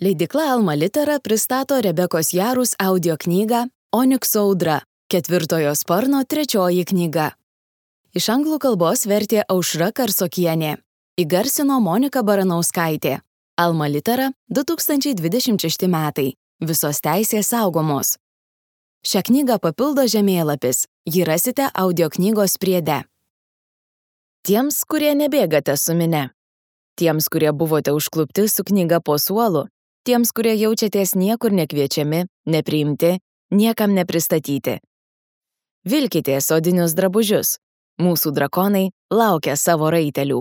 Leidykla Alma Litera pristato Rebekos Jarus audio knygą Onikso audra, 4 sparno 3 knyga. Iš anglų kalbos vertė Aušra Karsokienė. Įgarsino Monika Baranauskaitė. Alma Litera 2026 metai. Visos teisės saugomos. Šią knygą papildo žemėlapis. Jį rasite audio knygos priede. Tiems, kurie nebėgate su mine. Tiems, kurie buvote užklupti su knyga po suolu. Tiems, kurie jaučiatės niekur nekviečiami, nepriimti, niekam nepristatyti. Vilkitės odinius drabužius. Mūsų drakonai laukia savo raitelių.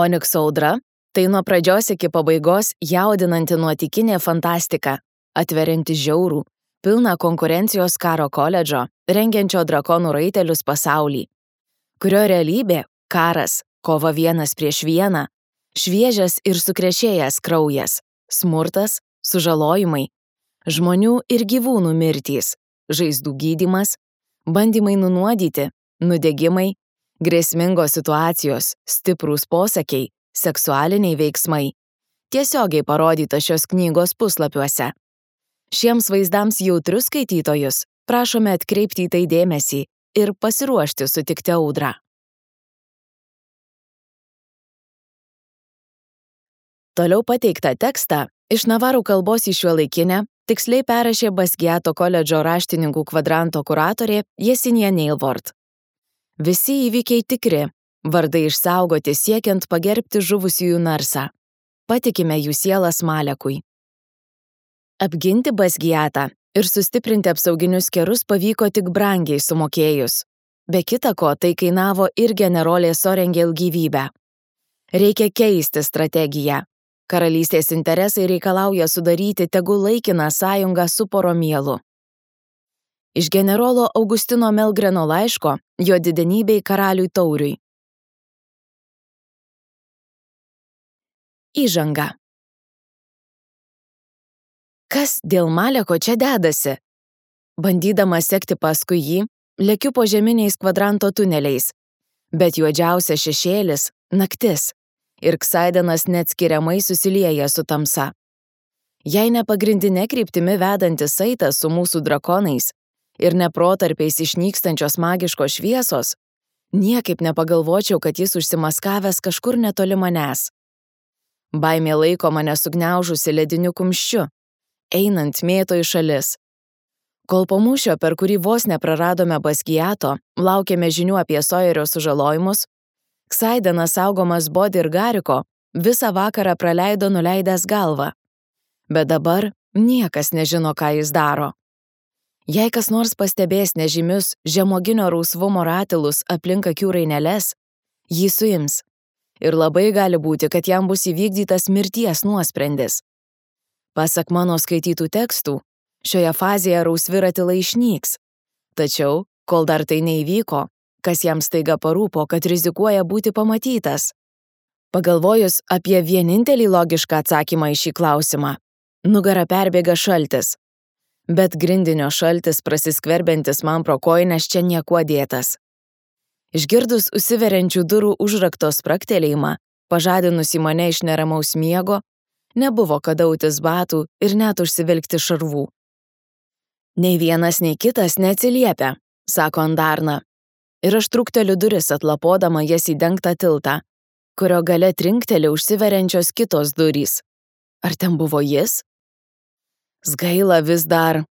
Onikso audra – tai nuo pradžios iki pabaigos jaudinanti nuotykinė fantastika, atverianti žiaurų, pilną konkurencijos karo koledžo, rengiančio drakonų raitelius pasaulį, kurio realybė – karas, kova vienas prieš vieną, šviežias ir sukrešėjęs kraujas, smurtas, sužalojimai, žmonių ir gyvūnų mirtys, žaizdų gydymas, bandymai nunuodyti, nudegimai, grėsmingos situacijos, stiprūs posakiai, seksualiniai veiksmai. Tiesiogiai parodyta šios knygos puslapiuose. Šiems vaizdams jautrius skaitytojus prašome atkreipti į tai dėmesį ir pasiruošti sutikti audrą. Toliau pateiktą tekstą iš navarų kalbos į šiuolaikinę tiksliai perrašė Basgiato koledžo raštininkų kvadranto kuratorė Jesinija Neilvort. Visi įvykiai tikri, vardai išsaugoti siekiant pagerbti žuvusiųjų narsą. Patikime jų sielas Malekui. Apginti Basgiatą ir sustiprinti apsauginius kerus pavyko tik brangiai sumokėjus. Be kita ko, tai kainavo ir generolė Sorengel gyvybę. Reikia keisti strategiją. Karalystės interesai reikalauja sudaryti tegul laikiną sąjungą su Poromielu. Iš generolo Augustino Melgreno laiško jo didenybei karaliui Tauriui. Įžanga. Kas dėl Maleko čia dedasi? Bandydama sekti paskui jį, lekiu po žeminiais kvadranto tuneliais, bet juodžiausias šešėlis – naktis. Ir Ksaidenas neatskiriamai susilieja su tamsa. Jei ne pagrindinė kryptimi vedantis saitas su mūsų drakonais ir ne protarpiais išnykstančios magiškos šviesos, niekaip nepagalvočiau, kad jis užsimaskavęs kažkur netoli manęs. Baimė laiko mane sugniaužusi lediniu kumščiu, einant mėto į šalis. Kol po mūšio, per kurį vos nepraradome Basgiato, laukėme žinių apie Sojerio sužalojimus, Ksaidenas saugomas Bodi ir Gariko visą vakarą praleido nuleidęs galvą. Bet dabar niekas nežino, ką jis daro. Jei kas nors pastebės nežymius žemuoginio rausvumo ratilus aplink akių raineles, jį suims. Ir labai gali būti, kad jam bus įvykdytas mirties nuosprendis. Pasak mano skaitytų tekstų, šioje fazėje rausvi ratilai išnyks. Tačiau, kol dar tai neįvyko, kas jam staiga parūpo, kad rizikuoja būti pamatytas. Pagalvojus apie vienintelį logišką atsakymą į šį klausimą, nugarą perbėga šaltis. Bet grindinio šaltis prasiskverbiantis man pro kojines čia niekuo dėtas. Išgirdus užsiveriančių durų užrakto spragtelėjimą, pažadinusį mane iš neramaus miego, nebuvo kada autis batų ir net užsivilkti šarvų. Nei vienas, nei kitas neatsiliepia, sako Andarna. Ir aš trukteliu duris atlapodama jas į dengtą tiltą, kurio gale trinkteli užsiveriančios kitos durys. Ar ten buvo jis? Sgaila vis dar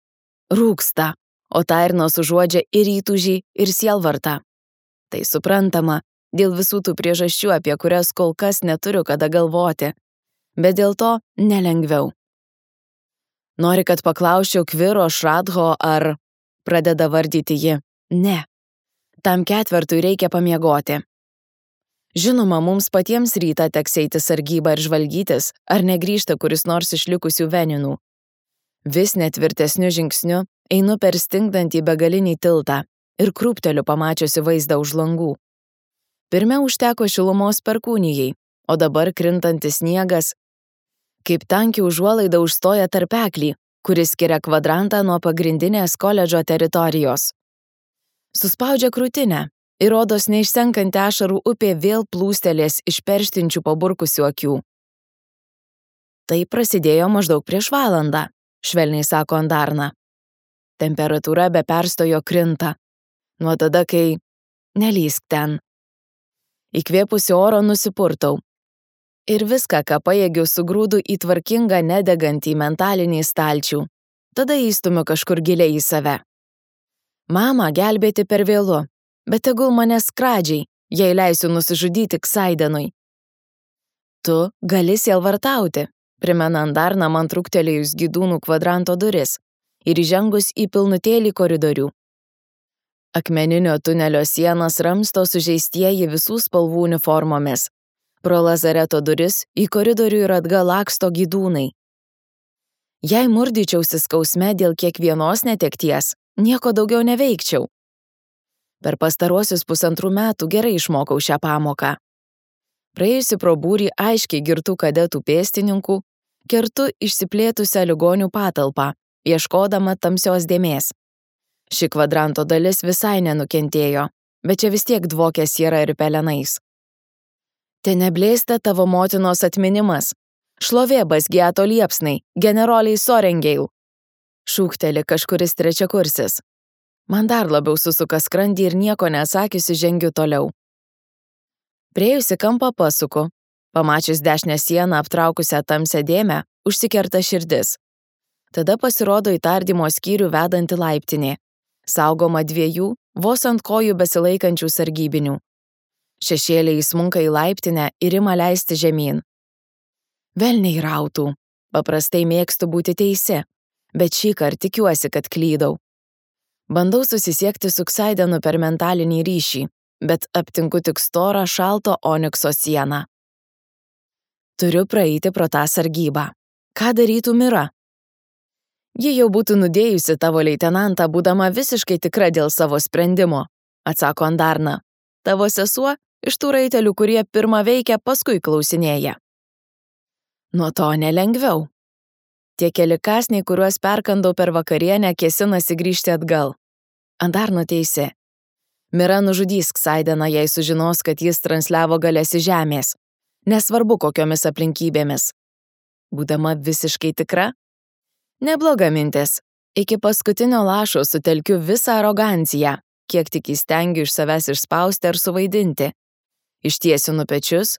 rūksta, o Tairnos užuodžia ir įtūžį, ir sielvartą. Tai suprantama, dėl visų tų priežasčių, apie kurias kol kas neturiu kada galvoti, bet dėl to nelengviau. Nori, kad paklausčiau Kviro, Šradho ar pradeda vardyti ji? Ne. Tam ketvertui reikia pamiegoti. Žinoma, mums patiems rytą teks eiti sargybą ir žvalgytis, ar negrįžta kuris nors išlikusių veninų. Vis netvirtesniu žingsniu einu per stingdantį begalinį tiltą ir krūpteliu pamačiusi vaizdą už langų. Pirmiau užteko šilumos perkūnijai, o dabar krintantis sniegas, kaip tanki užuolaida užstoja tarpeklį, kuris skiria kvadrantą nuo pagrindinės koledžo teritorijos. Suspaudžia krūtinę ir rodos neišsenkanti ašarų upė vėl plūstelės iš perštinčių paburkusių akių. Tai prasidėjo maždaug prieš valandą, švelniai sako Andarna. Temperatūra be perstojo krinta. Nuo tada, kai... Nelįsk ten. Įkvėpusi oro nusipurtau. Ir viską, ką pajėgiu, sugrūdu į tvarkingą, nedegantį mentalinį stalčių. Tada įstumiu kažkur giliai į save. Mama gelbėti per vėlu, bet tegul mane skradžiai, jei leisiu nusižudyti Ksaidenui. Tu gali sielvartauti, primena Andarna man truktelėjus Gydūnų kvadranto duris ir įžengus į pilnutėlį koridorių. Akmeninio tunelio sienas ramsto sužeistieji visų spalvų uniformomis. Pro lazareto duris į koridorių ir atgal laksto Gydūnai. Jei murdyčiausi skausme dėl kiekvienos netekties, nieko daugiau neveikčiau. Per pastaruosius 1,5 metų gerai išmokau šią pamoką. Praėjusi pro būrį aiškiai girtų kadetų pėstininkų, kertu išsiplėtusią ligonių patalpą, ieškodama tamsios dėmės. Ši kvadranto dalis visai nenukentėjo, bet čia vis tiek dvokė siera ir pelenais. Te neblėsta tavo motinos atminimas. Šlovė Basgiato liepsnai, generoliai Sorengeil. Šūkteli kažkuris trečiakursis. Man dar labiau susuka skrandį ir nieko nesakiusi žengiu toliau. Priėjusi kampą pasuku. Pamačius dešinę sieną aptraukusią tamsią dėmę, užsikerta širdis. Tada pasirodo į tardymo skyrių vedanti laiptinė. Saugoma 2 vos ant kojų besilaikančių sargybinių. Šešėliai įsmunka į laiptinę ir ima leisti žemyn. Velniai rautų. Paprastai mėgstu būti teisi, bet šįkart tikiuosi, kad klydau. Bandau susisiekti su Ksaidenu per mentalinį ryšį, bet aptinku tik storą šalto onikso sieną. Turiu praeiti pro tą sargybą. Ką darytų Mira? Ji jau būtų nudėjusi tavo leitenantą, būdama visiškai tikra dėl savo sprendimo, atsako Andarna. Tavo sesuo iš tų raitelių, kurie pirmą veikia, paskui klausinėja. Nuo to nelengviau. Tie keli kąsniai, kuriuos perkandau per vakarienę, kėsinasi grįžti atgal. Andarna teisi. Mira nužudys Ksaideną, jei sužinos, kad jis transliavo galias iš žemės. Nesvarbu, kokiomis aplinkybėmis. Būdama visiškai tikra? Nebloga mintis. Iki paskutinio lašo sutelkiu visą aroganciją, kiek tik įstengiu iš savęs išspausti ar suvaidinti. Ištiesinu pečius,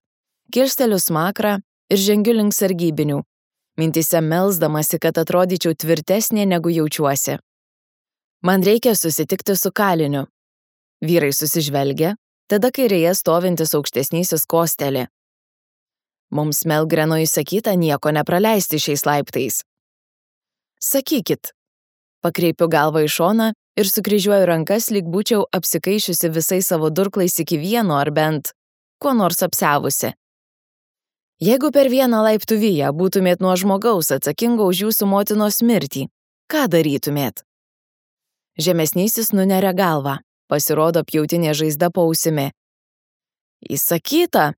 kirsteliu smakrą ir žengiu link sargybinių, mintyse melsdamasi, kad atrodyčiau tvirtesnė negu jaučiuosi. Man reikia susitikti su kaliniu. Vyrai susižvelgia, tada kairėje stovintis aukštesnysis kosteli. Mums Melgreno įsakyta nieko nepraleisti šiais laiptais. Sakykit. Pakreipiu galvą į šoną ir sukryžiuoju rankas, lyg būčiau apsikaišiusi visais savo durklais iki vieno ar bent kuo nors apsiavusi. Jeigu per vieną laiptų viją būtumėt nuo žmogaus atsakingo už jūsų motinos mirtį, ką darytumėt? Žemesnysis nuneria galvą, pasirodo pjautinė žaizda po ausimi. Įsakyta,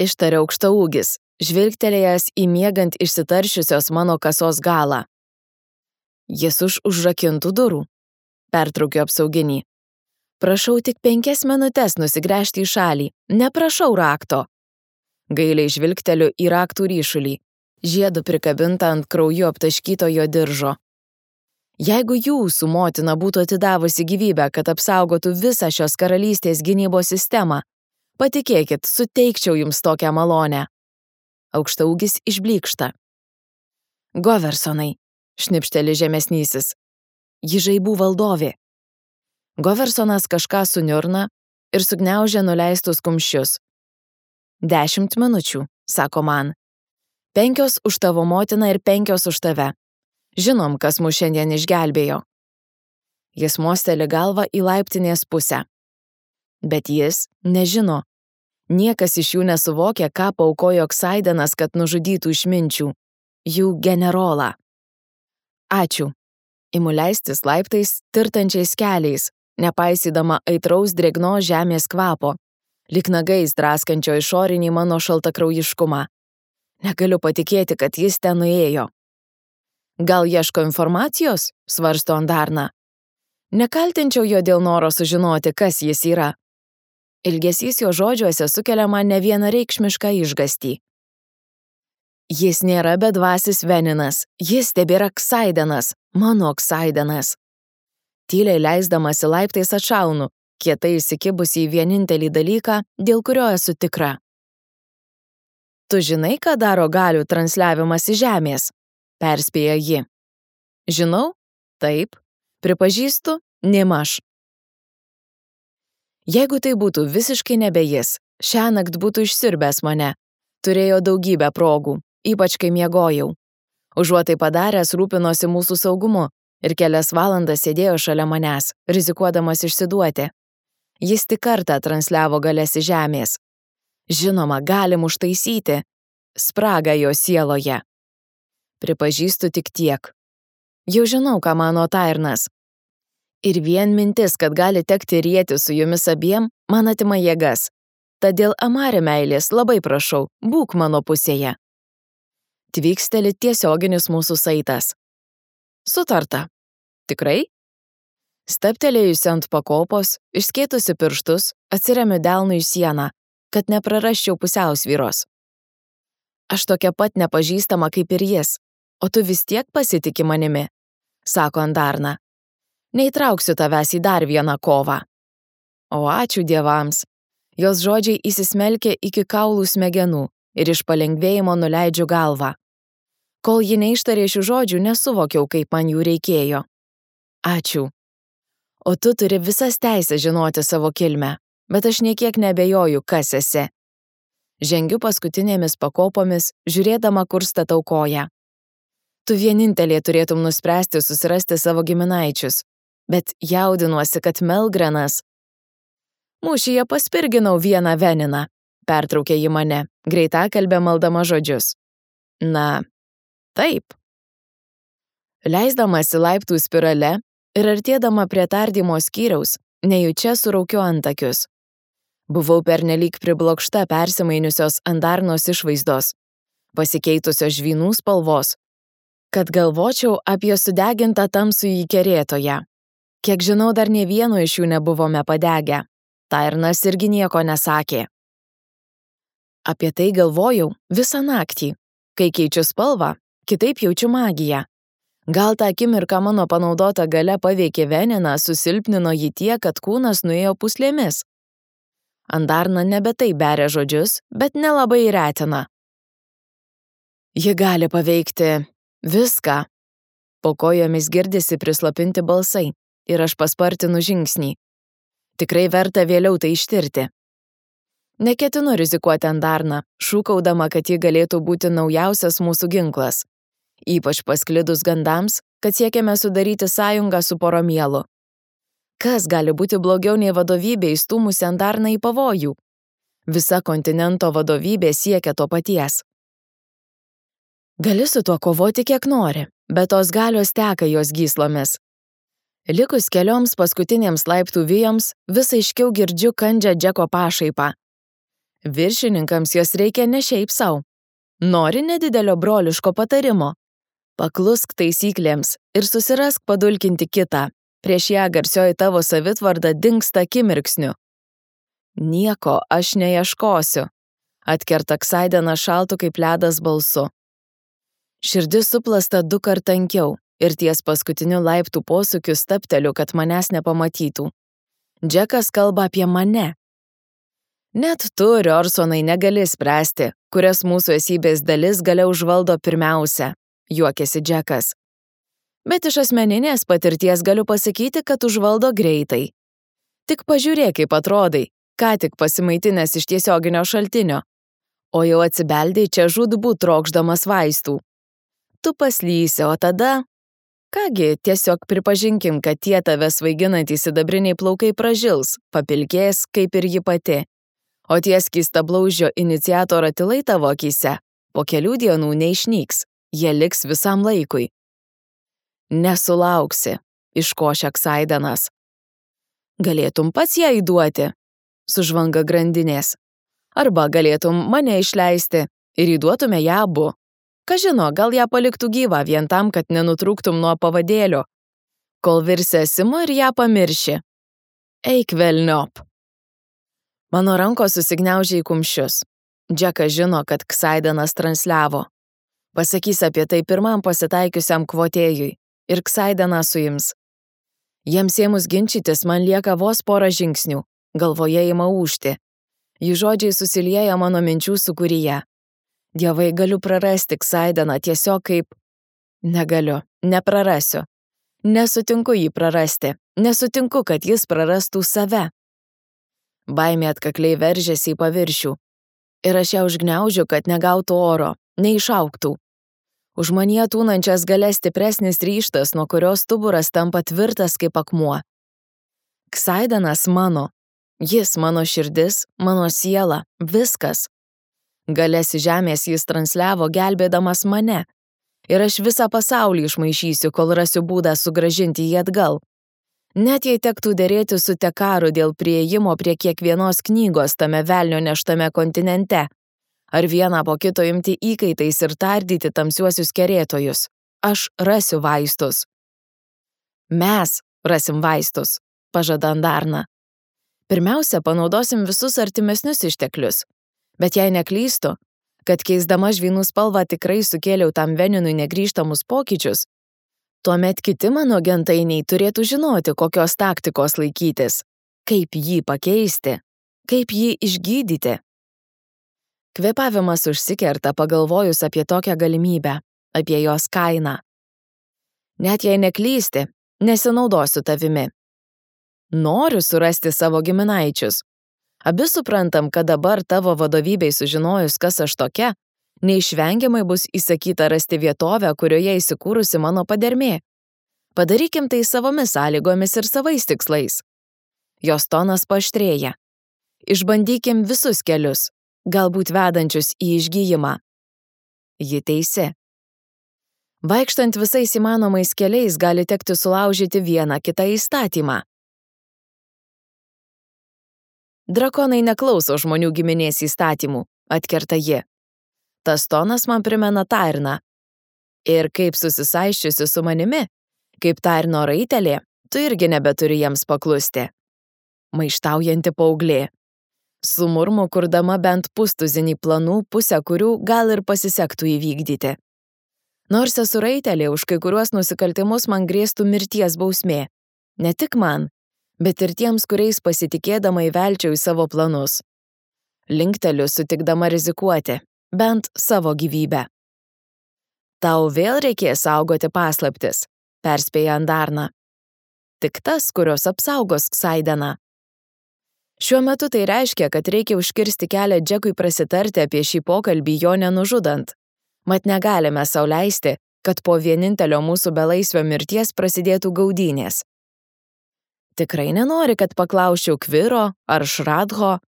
ištaria aukštaūgis, žvilgtelėjęs į miegant išsitaršiusios mano kasos galą. Jis už užrakintų durų. Pertraukiu apsauginį. Prašau tik 5 minutes nusigręžti į šalį, neprašau rakto. Gailiai žvilgteliu į raktų ryšulį, žiedu prikabintą ant krauju aptaškyto jo diržo. Jeigu jūsų motina būtų atidavusi gyvybę, kad apsaugotų visą šios karalystės gynybos sistemą, patikėkit, suteikčiau jums tokią malonę. Aukštaūgis išblykšta. Goversonai, šnipšteli žemesnysis. Ji žaibų valdovė. Goversonas kažką suniurna ir sugniaužia nuleistus kumščius. 10 minučių, sako man. 5 už tavo motiną ir 5 už tave. Žinom, kas mus šiandien išgelbėjo. Jis mosteli galvą į laiptinės pusę. Bet jis nežino. Niekas iš jų nesuvokia, ką paaukojo Ksaidenas, kad nužudytų išminčių. Jų generolą. Ačiū. Imu leistis laiptais tirtančiais keliais, nepaisydama aitraus drėgnos žemės kvapo, lyg nagais draskančio išorinį mano šaltakraujiškumą. Negaliu patikėti, kad jis ten nuėjo. Gal ieško informacijos, svarsto Andarna. Nekaltinčiau jo dėl noro sužinoti, kas jis yra. Ilgesys jo žodžiuose sukelia man nevienareikšmišką išgąstį. Jis nėra bedvasis Veninas, jis tebėra Ksaidenas, mano Ksaidenas. Tyliai leisdamas į laiptais atšaunu, kietai įsikibusi į vienintelį dalyką, dėl kurio esu tikra. Tu žinai, ką daro galių transliavimas į žemės? Perspėjo ji. Žinau? Taip. Pripažįstu? Nemaž. Jeigu tai būtų visiškai nebe jis, šiąnakt būtų išsiurbęs mane. Turėjo daugybę progų, ypač kai miegojau. Užuot tai padaręs, rūpinosi mūsų saugumu ir kelias valandas sėdėjo šalia manęs, rizikuodamas išsiduoti. Jis tik kartą transliavo galias į žemės. Žinoma, galim užtaisyti spragą jo sieloje. Pripažįstu tik tiek. Jau žinau, ką mano Tairnas. Ir vien mintis, kad gali tekti rieti su jumis abiem, man atima jėgas. Tad dėl Amari meilės labai prašau, būk mano pusėje. Tvyksteli tiesioginis mūsų saitas. Sutarta. Tikrai? Staptelėjusi ant pakopos, išskėtusi pirštus, atsiremiu delnu į sieną, kad neprarasčiau pusiausvyros. Aš tokia pat nepažįstama kaip ir jis, o tu vis tiek pasitiki manimi, sako Andarna. Neįtrauksiu tavęs į dar vieną kovą. O ačiū dievams. Jos žodžiai įsismelkė iki kaulų smegenų ir iš palengvėjimo nuleidžiu galvą. Kol ji neištarė šių žodžių, nesuvokiau, kaip man jų reikėjo. Ačiū. O tu turi visas teisės žinoti savo kilmę, bet aš niekiek nebejoju, kas esi. Žengiu paskutinėmis pakopomis, žiūrėdama, kur statau koją. Tu vienintelė turėtum nuspręsti susirasti savo giminaičius, bet jaudinuosi, kad Melgranas. Mūšyje paspirginau vieną Veniną, pertraukė ji mane, greitakalbė maldama žodžius. Na, taip. Leisdamasi laiptų spirale ir artėdama prie tardymo skyriaus, nejučia suraukiu antakius. Buvau pernelyg priblokšta persimainiusios Andarnos išvaizdos, pasikeitusios žvynų spalvos, kad galvočiau apie sudegintą tamsųjį kerėtoją. Kiek žinau, dar nė vieno iš jų nebuvome padegę. Tairnas irgi nieko nesakė. Apie tai galvojau visą naktį. Kai keičiu spalvą, kitaip jaučiu magiją. Gal tą akimirką mano panaudota galia paveikė Veniną, susilpnino jį tiek, kad kūnas nuėjo puslėmis. Andarna nebe tai beria žodžius, bet nelabai retina. Ji gali paveikti viską. Po kojomis girdisi prislopinti balsai ir aš paspartinu žingsnį. Tikrai verta vėliau tai ištirti. Neketinu rizikuoti Andarną, šūkaudama, kad ji galėtų būti naujausias mūsų ginklas. Ypač pasklidus gandams, kad siekiame sudaryti sąjungą su Poromielu. Kas gali būti blogiau nei vadovybė įstūmusi Andarną į pavojų? Visa kontinento vadovybė siekia to paties. Gali su tuo kovoti kiek nori, bet tos galios teka jos gyslomis. Likus kelioms paskutinėms laiptų vijoms, vis aiškiau girdžiu kandžią Džeko pašaipą. Viršininkams jos reikia ne šiaip sau. Nori nedidelio broliško patarimo? Paklusk taisyklėms ir susirask padulkinti kitą. Prieš ją garsioji tavo savitvarda dingsta akimirksniu. Nieko aš neieškosiu, atkerta Ksaidenas šaltu kaip ledas balsu. Širdis suplasta 2 kart tankiau. Ir ties paskutiniu laiptų posūkiu stabteliu, kad manęs nepamatytų. Džekas kalba apie mane. Net tu, Riorsonai, negali spręsti, kurias mūsų esybės dalis galia užvaldo pirmiausia, juokėsi Džekas. Bet iš asmeninės patirties galiu pasakyti, kad užvaldo greitai. Tik pažiūrėk, kaip atrodai, ką tik pasimaitinęs iš tiesioginio šaltinio, o jau atsibeldei čia žūtbūt trokšdamas vaistų. Tu paslysi, o tada... Kągi, tiesiog pripažinkim, kad tie tave svaiginantys sidabriniai plaukai pražils, papilkės, kaip ir ji pati. O tie skystablaužio iniciato ratilai tavo akyse po kelių dienų neišnyks, jie liks visam laikui. Nesulauksi, iškošia Ksaidenas. Galėtum pats ją įduoti, sužvanga grandinės. Arba galėtum mane išleisti ir įduotume ją abu. Ką žino, gal ją paliktų gyvą vien tam, kad nenutrūktum nuo pavadėlio, kol virsi esimu ir ją pamirši. Eik velniop. Mano rankos susigniaužė į kumščius. Džekas žino, kad Ksaidenas transliavo. Pasakys apie tai pirmam pasitaikiusiam kvotėjui ir Ksaideną suims. Jiems ėmus ginčytis man lieka vos porą žingsnių, galvoje ima ūžti. Jų žodžiai susilieja mano minčių sūkuryje. Dievai, galiu prarasti Ksaideną tiesiog kaip... Negaliu, neprarasiu. Nesutinku jį prarasti, nesutinku, kad jis prarastų save. Baimė atkakliai veržėsi į paviršių. Ir aš ją užgniaužiu, kad negautų oro, neišauktų. Už manyje tūnančias gale stipresnis ryžtas, nuo kurios stuburas tampa tvirtas kaip akmuo. Ksaidenas mano. Jis mano širdis, mano siela, viskas. Galės į žemės jis transliavo, gelbėdamas mane. Ir aš visą pasaulį išmaišysiu, kol rasiu būdą sugrąžinti jį atgal. Net jei tektų derėti su Tekaru dėl priėjimo prie kiekvienos knygos tame velnio neštame kontinente, ar vieną po kito imti įkaitais ir tardyti tamsiuosius kerėtojus, aš rasiu vaistus. Mes rasim vaistus, pažada Andarna. Pirmiausia, panaudosim visus artimesnius išteklius, bet jei neklystu, kad keisdama žvynų spalvą tikrai sukėliau tam veninui negrįžtamus pokyčius, tuomet kiti mano gentainiai turėtų žinoti, kokios taktikos laikytis, kaip jį pakeisti, kaip jį išgydyti. Kvėpavimas užsikerta pagalvojus apie tokią galimybę, apie jos kainą. Net jei neklysti, nesinaudosiu tavimi. Noriu surasti savo giminaičius. Abi suprantam, kad dabar tavo vadovybei sužinojus, kas aš tokia, neišvengiamai bus įsakyta rasti vietovę, kurioje įsikūrusi mano padermė. Padarykim tai savomis sąlygomis ir savais tikslais. Jos tonas paaštrėja. Išbandykim visus kelius, galbūt vedančius į išgijimą. Ji teisi. Vaikštant visais įmanomais keliais gali tekti sulaužyti vieną kitą įstatymą. Drakonai neklauso žmonių giminės įstatymų, atkerta ji. Tas tonas man primena Tairną. Ir kaip susisaiščiusi su manimi, kaip Tairno raitelė, tu irgi nebeturi jiems paklusti. Maištaujanti paauglė. Su murmu kurdama bent pustuzinį planų, pusę kurių gal ir pasisektų įvykdyti. Nors esu raitelė, už kai kuriuos nusikaltimus man grėstų mirties bausmė. Ne tik man, bet ir tiems, kuriais pasitikėdama įvelčiau į savo planus. Linkteliu sutikdama rizikuoti, bent savo gyvybę. Tau vėl reikės saugoti paslaptis, perspėja Andarna. Tik tas, kurios apsaugos Ksaideną. Šiuo metu tai reiškia, kad reikia užkirsti kelią Džekui prasitarti apie šį pokalbį jo nenužudant. Mat negalime sau leisti, kad po vienintelio mūsų belaisvio mirties prasidėtų gaudynės. Tikrai nenori, kad paklausčiau Kviro ar Šradho?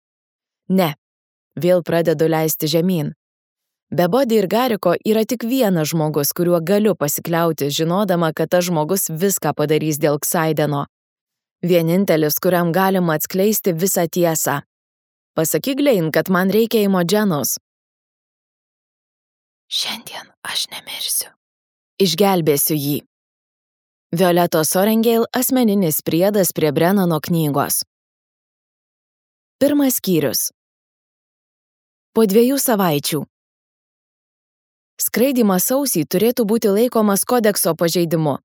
Ne, vėl pradedu leisti žemyn. Be Bodi ir Gariko yra tik vienas žmogus, kuriuo galiu pasikliauti, žinodama, kad tas žmogus viską padarys dėl Ksaideno. Vienintelis, kuriam galima atskleisti visą tiesą. Pasakyk Glein, kad man reikia Imogenos. Šiandien aš nemirsiu. Išgelbėsiu jį. Violetos Orengale asmeninis priedas prie Brennano knygos. Pirmas skyrius. Po 2 savaičių. Skraidymas sausį turėtų būti laikomas kodekso pažeidimu.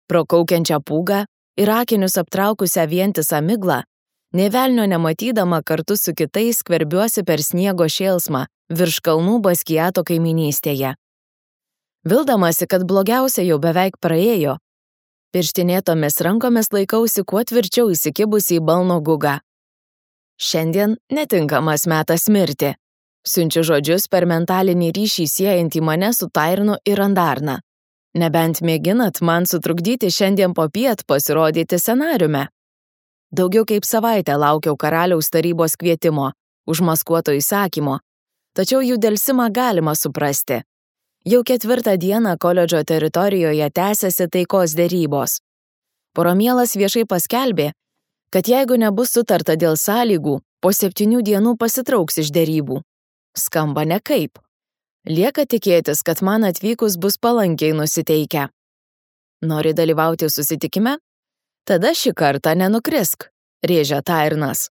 Pro kaukiančią pūgą ir akinius aptraukusią vientisą miglą, nė velnio nematydama kartu su kitais skverbiuosi per sniego šėlsmą virš kalnų Baskiato kaiminystėje. Vildamasi, kad blogiausia jau beveik praėjo, pirštinėtomis rankomis laikausi kuo tvirčiau įsikibusi į balno gugą. Šiandien netinkamas metas mirti. Siunčiu žodžius per mentalinį ryšį siejantį mane su Tairnu ir Andarna. Nebent mėginat man sutrukdyti šiandien popiet pasirodyti scenariume. Daugiau kaip savaitę laukiau karaliaus tarybos kvietimo, užmaskuoto įsakymo, tačiau jų delsimą galima suprasti. Jau 4 dieną koledžo teritorijoje tęsiasi taikos derybos. Poromielas viešai paskelbė, kad jeigu nebus sutarta dėl sąlygų, po 7 dienų pasitrauks iš derybų. Skamba nekaip. Lieka tikėtis, kad man atvykus bus palankiai nusiteikę. Nori dalyvauti susitikime? Tada šį kartą nenukrisk, rėžia Tairnas.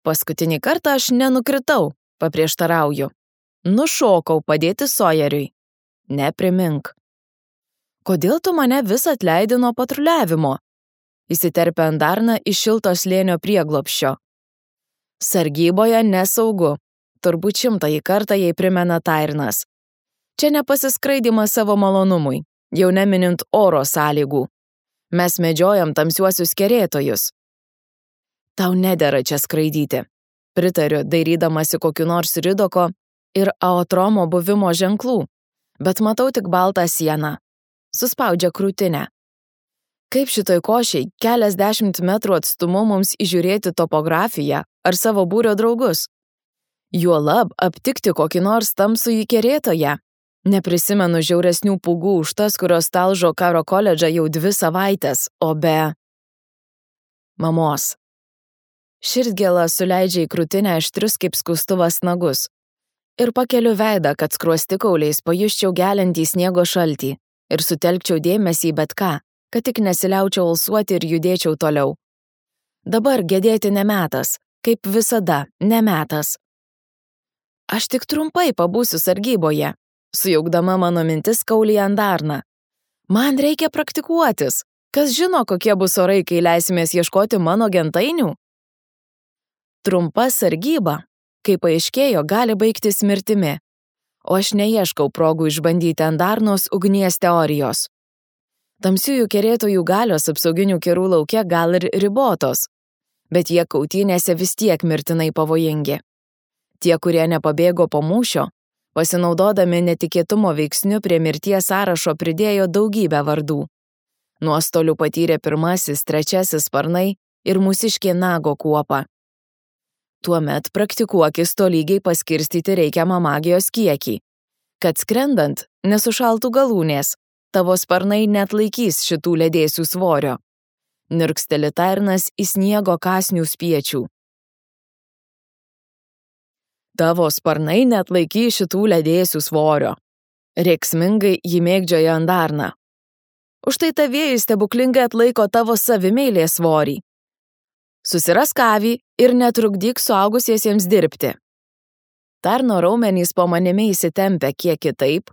Paskutinį kartą aš nenukritau, paprieštarauju. Nušokau padėti Sawyeriui. Neprimink. Kodėl tu mane vis atleidi nuo patruliavimo? Įsiterpė Andarna iš šilto slėnio prieglobsčio. Sargyboje nesaugu. Turbūt 100 kartą jai primena Tairnas. Čia nepasiskraidimas savo malonumui, jau neminint oro sąlygų. Mes medžiojam tamsiuosius kerėtojus. Tau nedera čia skraidyti. Pritariu, dairydamasi kokiu nors Ridoko ir Aotromo buvimo ženklų, bet matau tik baltą sieną. Suspaudžia krūtinę. Kaip šitoj košiai keliasdešimt metrų atstumu mums įžiūrėti topografiją ar savo būrio draugus? Juolab aptikti kokį nors tamsųjį kerėtoją. Neprisimenu žiauresnių pūgų už tas, kurios talžo karo koledžą jau 2 savaites, o be... Mamos. Širdgėla suleidžia į krūtinę aštrius kaip skustuvas nagus. Ir pakeliu veidą, kad skruostikauliais pajusčiau geliantį sniego šaltį ir sutelkčiau dėmesį į bet ką, kad tik nesiliaučiau alsuoti ir judėčiau toliau. Dabar gedėti nemetas, kaip visada, nemetas. Aš tik trumpai pabūsiu sargyboje, sujaukdama mano mintis kaulį Andarna. Man reikia praktikuotis. Kas žino, kokie bus orai, kai leisimės ieškoti mano gentainių? Trumpa sargyba, kaip paaiškėjo, gali baigtis mirtimi. O aš neieškau progų išbandyti Andarnos ugnies teorijos. Tamsiųjų kerėtojų galios apsauginių kerų lauke gal ir ribotos, bet jie kautynėse vis tiek mirtinai pavojingi. Tie, kurie nepabėgo po mūšio, pasinaudodami netikėtumo veiksniu prie mirties sąrašo pridėjo daugybę vardų. Nuostolių patyrė 1., 3 sparnai ir mūsiškė nago kuopa. Tuomet praktikuokis tolygiai paskirstyti reikiamą magijos kiekį, kad skrendant nesušaltų galūnės, tavo sparnai neatlaikys šitų ledėsių svorio. Nirksteli Tairnas į sniego kąsnių spiečių. Tavo sparnai neatlaikys šitų ledėsių svorio. Rėksmingai jį mėgdžioja Andarna. Užtai tavėjai stebuklingai atlaiko tavo savimeilės svorį. Susirask avį ir netrukdyk suaugusiesiems dirbti. Tarno raumenys po manimi įsitempia kiek kitaip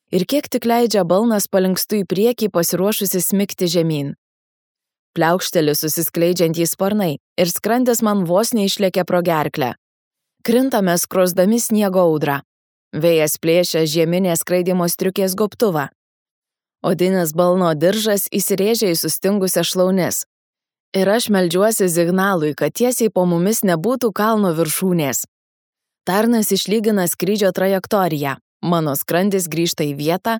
ir kiek tik leidžia balnas palinkstu į priekį pasiruošusi smigti žemyn. Pliaukšteli susiskleidžiantys sparnai ir skrandis man vos neišlėkė pro gerklę. Krintame skrosdami sniego audrą. Vėjas plėšia žieminės skraidimo striukės gobtuvą. Odinis balno diržas įsirėžia į sustingusią šlaunis. Ir aš meldžiuosi signalui, kad tiesiai po mumis nebūtų kalno viršūnės. Tarnas išlygina skrydžio trajektoriją. Mano skrandis grįžta į vietą,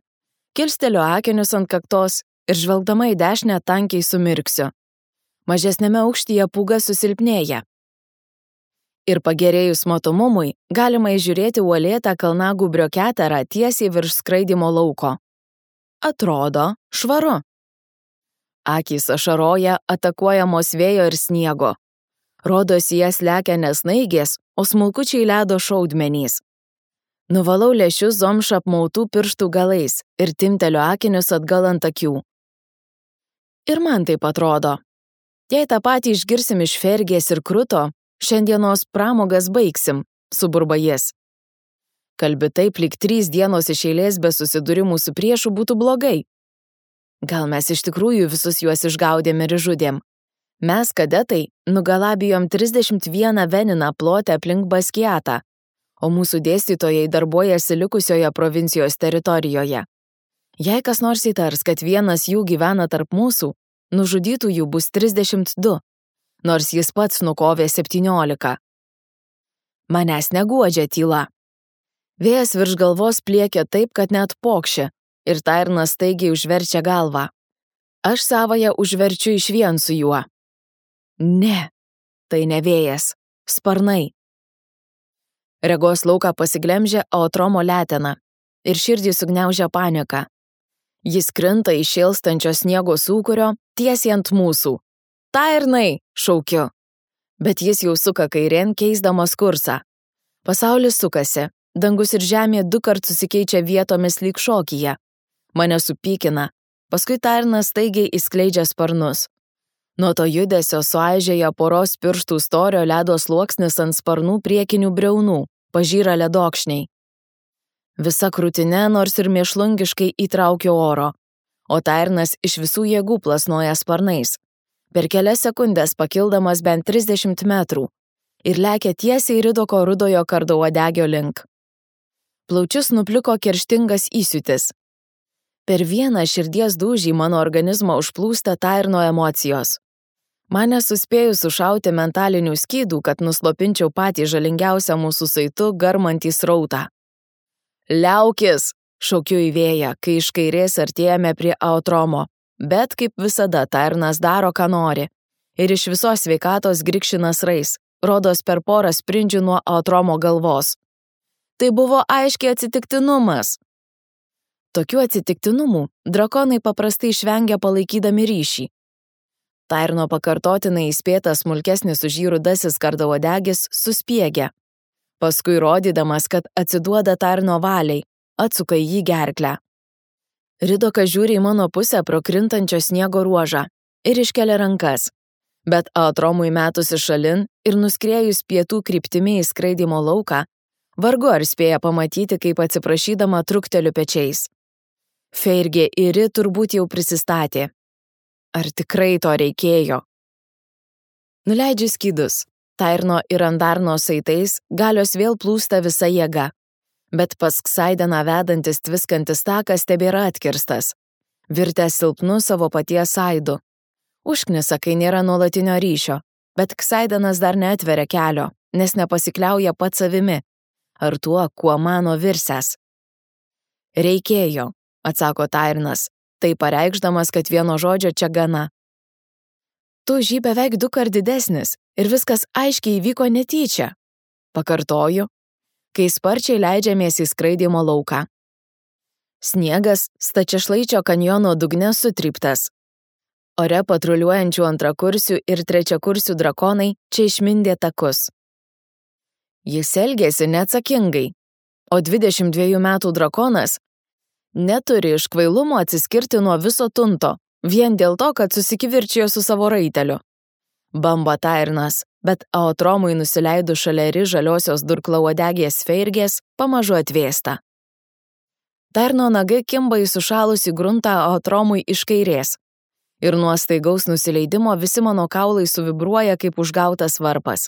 kilsteliu akinius ant kaktos ir žvelgdama į dešinę tankiai sumirksiu. Mažesnėme aukštyje pūga susilpnėja. Ir pagerėjus matomumui galima įžiūrėti uolėtą kalnagūbrio keterą tiesiai virš skraidimo lauko. Atrodo švaru. Akys ašaroja atakuojamos vėjo ir sniego. Rodosi jas lekia ne snaigės, o smulkučiai ledo šaudmenys. Nuvalau lęšius zomša apmautų pirštų galais ir timteliu akinius atgal ant akių. Ir man taip atrodo. Jei tą patį išgirsim iš Fergės ir Kruto, šiandienos pramogas baigsim, suburba jis. Kalbi taip, lyg 3 dienos iš eilės be susidūrimų su priešu būtų blogai. Gal mes iš tikrųjų visus juos išgaudėm ir išžudėm. Mes, kadetai, nugalabijom 31 veniną plotę aplink Baskiatą, o mūsų dėstytojai darbuojasi likusioje provincijos teritorijoje. Jei kas nors įtars, kad vienas jų gyvena tarp mūsų, nužudytųjų bus 32. Nors jis pats nukovė 17. Manęs neguodžia tyla. Vėjas virš galvos pliekia taip, kad net pokšia, ir Tairnas staigiai užverčia galvą. Aš savąją užverčiu išvien su juo. Ne, tai ne vėjas, sparnai. Regos lauką pasiglemžia Aotromo letena ir širdį sugniaužia panika. Jis krinta iš šėlstančio sniego sūkurio tiesiai ant mūsų. Tairnai, šaukiu. Bet jis jau suka kairėn, keisdamas kursą. Pasaulis sukasi, dangus ir žemė 2 kart susikeičia vietomis lyg šokyje. Mane supykina, paskui Tairnas staigiai įskleidžia sparnus. Nuo to judesio suaižėja poros pirštų storio ledo sluoksnis ant sparnų priekinių briaunų, pažyra ledokšniai. Visa krūtinė nors ir mėšlungiškai įtraukė oro, o Tairnas iš visų jėgų plasnoja sparnais, per kelias sekundės pakildamas bent 30 metrų ir lekia tiesiai Ridoko rudojo kardauodegio link. Plaučius nupliko kerštingas įsiūtis. Per vieną širdies dūžį mano organizmą užplūsta Tairno emocijos. Mane suspėjus sušauti mentalinių skydų, kad nuslopinčiau patį žalingiausią mūsų saitų garmantį srautą. Liaukis, šaukiu į vėją, kai iš kairės artėjame prie aotromo, bet kaip visada Tairnas daro, ką nori, ir iš visos sveikatos grikšina srais, rodos per porą sprindžių nuo aotromo galvos. Tai buvo aiškiai atsitiktinumas. Tokių atsitiktinumų drakonai paprastai išvengia palaikydami ryšį. Tairno pakartotinai įspėtas smulkesnis už jį rudasis kardauodegis suspiegia. Paskui rodydamas, kad atsiduoda Tairno valiai, atsuka į jį gerklę. Ridokas žiūri į mano pusę pro krintančio sniego ruožą ir iškelia rankas, bet aotromui metusi šalin ir nuskrėjus pietų kryptimi į skraidymo lauką, vargu ar spėja pamatyti, kaip atsiprašydama trukteliu pečiais. Feirgė ir Ri turbūt jau prisistatė. Ar tikrai to reikėjo? Nuleidžiu skydus. Tairno ir Andarno saitais galios vėl plūsta visa jėga, bet pas Ksaideną vedantis tviskantis takas tebėra atkirstas, virtęs silpnu savo paties saidu. Užknisa, kai nėra nuolatinio ryšio, bet Ksaidenas dar neatveria kelio, nes nepasikliauja pats savimi, ar tuo, kuo mano virsęs. Reikėjo, atsako Tairnas, tai pareikšdamas, kad vieno žodžio čia gana. Tu žy beveik 2 kart didesnis ir viskas aiškiai įvyko netyčia. Pakartoju, kai sparčiai leidžiamės į skraidymo lauką. Sniegas Stačiašlaičio kanjono dugne sutryptas. Ore patruliuojančių antrakursių ir trečiakursių drakonai čia išmindė takus. Jis elgėsi neatsakingai, o 22 metų drakonas neturi iš kvailumo atsiskirti nuo viso tunto, vien dėl to, kad susikivirčijo su savo raiteliu. Bamba Tairnas, bet aotromui nusileidus šalia Ri žaliosios durklauodegės Feirgės pamažu atvėsta. Tairno nagai kimba į sušalusį gruntą aotromui iš kairės ir nuo staigaus nusileidimo visi mano kaulai suvibruoja kaip užgautas varpas.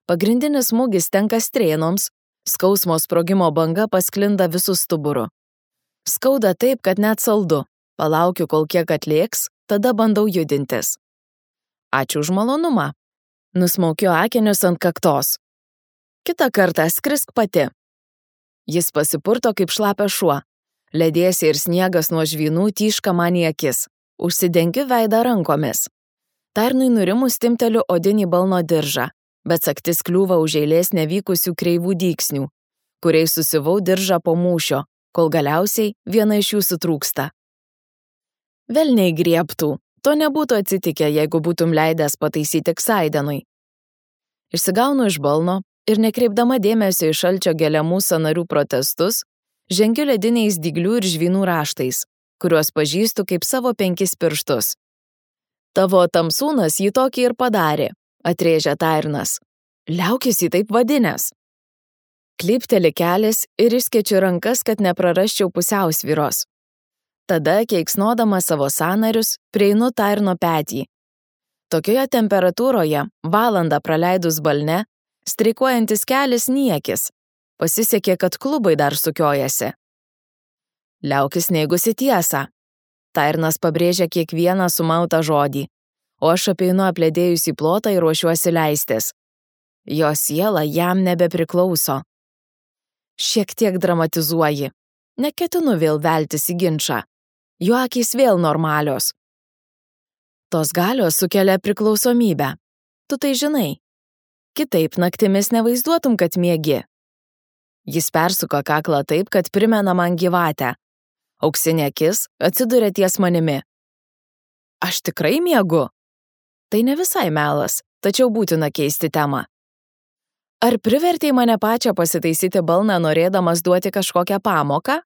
Pagrindinis smūgis tenka strėnoms, skausmo sprogimo banga pasklinda visų stuburu. Skauda taip, kad net saldu. Palaukiu, kol kiek atlėks, tada bandau judintis. Ačiū už malonumą. Nusmaukiu akinius ant kaktos. Kitą kartą skrisk pati. Jis pasipurto kaip šlapia šuo. Ledėsiai ir sniegas nuo žvynų tyška man į akis. Užsidengiu veidą rankomis. Tairnui nurimus timteliu odinį balno diržą, bet sagtis kliūva už eilės nevykusių kreivų dyksnių, kuriais susivau diržą po mūšio, kol galiausiai viena iš jų sutrūksta. Velniai griebtų, to nebūtų atsitikę, jeigu būtum leidęs pataisyti Ksaidenui. Išsigaunu iš balno ir nekreipdama dėmesio į šalčio geliamų sąnarių protestus, žengiu lediniais dyglių ir žvynų raštais, kuriuos pažįstu kaip savo 5 pirštus. Tavo tamsūnas jį tokį ir padarė, atrėžė Tairnas. Liaukis jį taip vadinęs. Klypteli kelias ir išskėčiu rankas, kad neprarasčiau pusiausvyros. Tada, keiksnodama savo sąnarius, prieinu Tairno petį. Tokioje temperatūroje, valandą praleidus balne, streikuojantis kelias niekis. Pasisekė, kad klubai dar sukiojasi. Liaukis neigusi tiesą. Tairnas pabrėžia kiekvieną sumautą žodį, o aš apeinu apledėjusį plotą ir ruošiuosi leistis. Jo siela jam nebepriklauso. Šiek tiek dramatizuoji. Neketinu vėl veltis į ginčą. Jo akys vėl normalios. Tos galios sukelia priklausomybę. Tu tai žinai. Kitaip naktimis nevaizduotum, kad miegi. Jis persuka kaklą taip, kad primena man gyvatę. Auksinė akis atsiduria ties manimi. Aš tikrai miegu? Tai ne visai melas, tačiau būtina keisti temą. Ar privertei mane pačią pasitaisyti balną, norėdamas duoti kažkokią pamoką?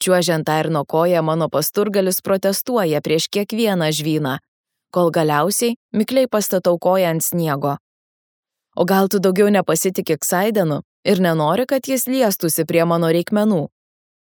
Čiuožiant Tairno koją, mano pasturgalis protestuoja prieš kiekvieną žvyną, kol galiausiai mikliai pastatau koją ant sniego. O gal tu daugiau nepasitikė Ksaidenu ir nenori, kad jis liestųsi prie mano reikmenų.